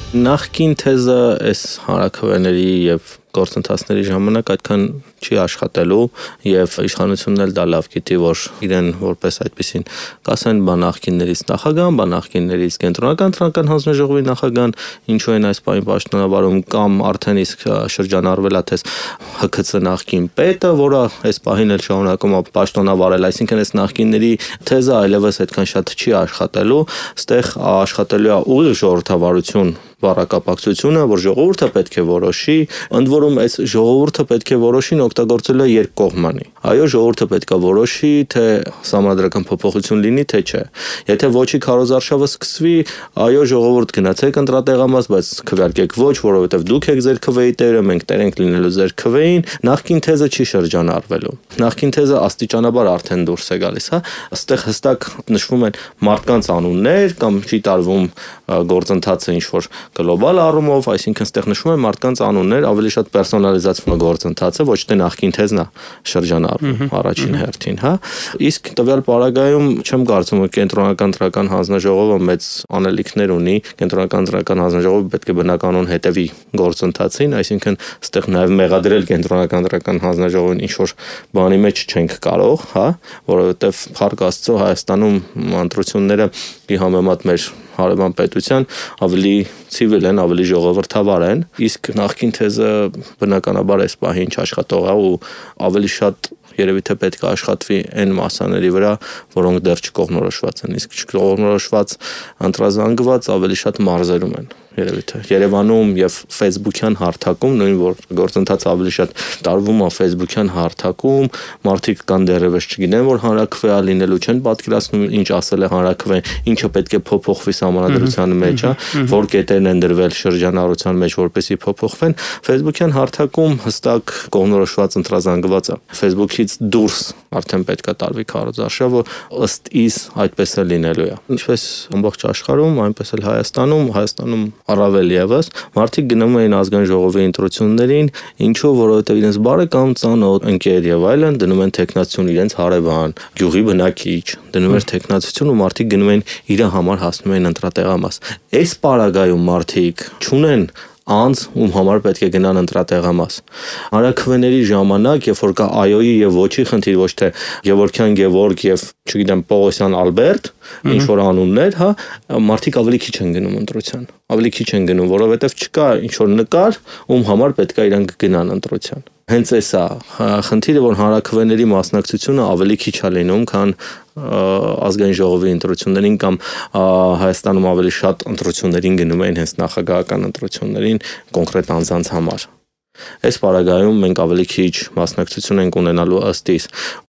Նախկին թեզը այս հանրաքվեների եւ գործընթացների ժամանակ այդքան չի աշխատելու եւ իշխանությունն էլ դա լավ գիտի, որ իրեն որպես այդպեսին կասեն բա նախկիններից նախագահան, բա նախկիններից կենտրոնական տրամադրական հանձնաժողովի նախագահան, ինչու են այս պահին պաշտոնավարում կամ արդեն իսկ շրջանառվել է թե ՀՔՑ նախկին պետը, որը այս պահին էլ շարունակում է պաշտոնավարել, այսինքն այս նախկինների թեզը այլևս այդքան շատ չի աշխատելու, ստեղ աշխատելու է ուղիղ ժողովրդավարություն բառակապակցությունը, որ ժողովուրդը պետք է որոշի, ընդ որում այս ժողովուրդը պետք է որոշին օգտագործել է երկկողմանի։ Այո, ժողովուրդը պետք է որոշի, թե համանդրական փոփոխություն լինի, թե չէ։ Եթե ոչի քարոզարշավը սկսվի, այո, ժողովուրդ գնացեք ընտրատեղամաս, բայց քվեարկեք ոչ, որովհետև դուք եք ձեր քվեի տերը, մենք տեր ենք լինելու ձեր քվեին, նախկին թեզը չի շրջանառվելու։ Նախկին թեզը աստիճանաբար արդեն դուրս է գալիս, հա։ Այստեղ հստակ նշվում են մարդկանց անուններ կամ չի տարվում գործընթացը ինչ որ գլոբալ առումով, այսինքն ստեղ նշվում են մարդկանց անուններ, ավելի շատ պերսոնալիզացվում է գործընթացը, ոչ թե նախկին թեզն է շրջանառվում առաջին հերթին, հա։ Իսկ տվյալ պարագայում չեմ կարծում, որ կենտրոնական տրամադրական հանձնաժողովը մեծ անելիքներ ունի, կենտրոնական տրամադրական հանձնաժողովը պետք է բնականon հետևի գործընթացին, այսինքն ստեղ նաև մեղադրել կենտրոնական տրամադրական հանձնաժողովին ինչ որ բանի մեջ չենք կարող, հա, որովհետև փառք Աստծո Հայաստանում ընտրությունները ի համեմատ մեր հարևան պետության ավելի ցիվիլ են, ավելի ժողովրդավար են, իսկ նախկին թեզը բնականաբար այս պահին չաշխատող է ու ավելի շատ երևի թե պետք է աշխատվի այն մասաների վրա, որոնք դեռ չկողմնորոշված են, իսկ չկողմնորոշված ընտրազանգված ավելի շատ մարզերում են, երևի թե Երևանում եւ Facebook-յան հարթակում, նույն որ գործընթացը ավելի շատ տարվում է Facebook-յան հարթակում, մարդիկ կան դեռևս չգիտեն, որ հանրաքվե լինելու չեն պատկերացնում, ինչ ասել է հանրաքվեն, ինչը պետք է փոփոխվի համանդրության մեջ, որ կետերն են դրվել շրջանառության մեջ, որպեսզի փոփոխվեն, Facebook-յան հարթակում հստակ կողմնորոշված ընտրազանգված է։ Facebook-ից դուրս արդեն պետք է տարվի քարոզարշավը, ըստ իս այդպես է լինելու է։ Ինչպես ամբողջ աշխարհում, այնպես էլ Հայաստանում առավել եւս մարդիկ գնում էին ազգային ժողովի ընտրություններին, ինչու, որովհետեւ իրենց բարեկամ, ծանոթ, ընկեր եւ այլն դնում են տեխնացություն, իրենց հարևան, գյուղի բնակիչ, դնում էր տեխնացություն ու մարդիկ գնում են իր համար հասնում են ընտրատեղամաս։ Այս պարագայում մարդիկ չունեն անձ, ում համար պետք է գնան ընտրատեղամաս։ Հանրաքվեների ժամանակ, երբ որ կա այոյի եւ ոչի խնդիր, ոչ թե Գևորգյան Գևորգ եւ չգիտեմ Պողոսյան Ալբերտ, ինչ որ անուններ, հա, մարդիկ ավելի քիչ են գնում ընտրության։ Ավելի քիչ են գնում, որովհետեւ չկա ինչ որ նկար, ում համար պետք է իրանք գնան ընտրության։ Հենց էս է խնդիրը, որ հանրաքվեների մասնակցությունը ավելի քիչ է լինում, քան ազգային ժողովի ընտրություններին կամ Հայաստանում ավելի շատ ընտրություններին գնում են հենց նախագահական ընտրություններին կոնկրետ անձանց համար։ Այս պարագայում մենք ավելի քիչ մասնակցություն ենք ունենալու ըստ իս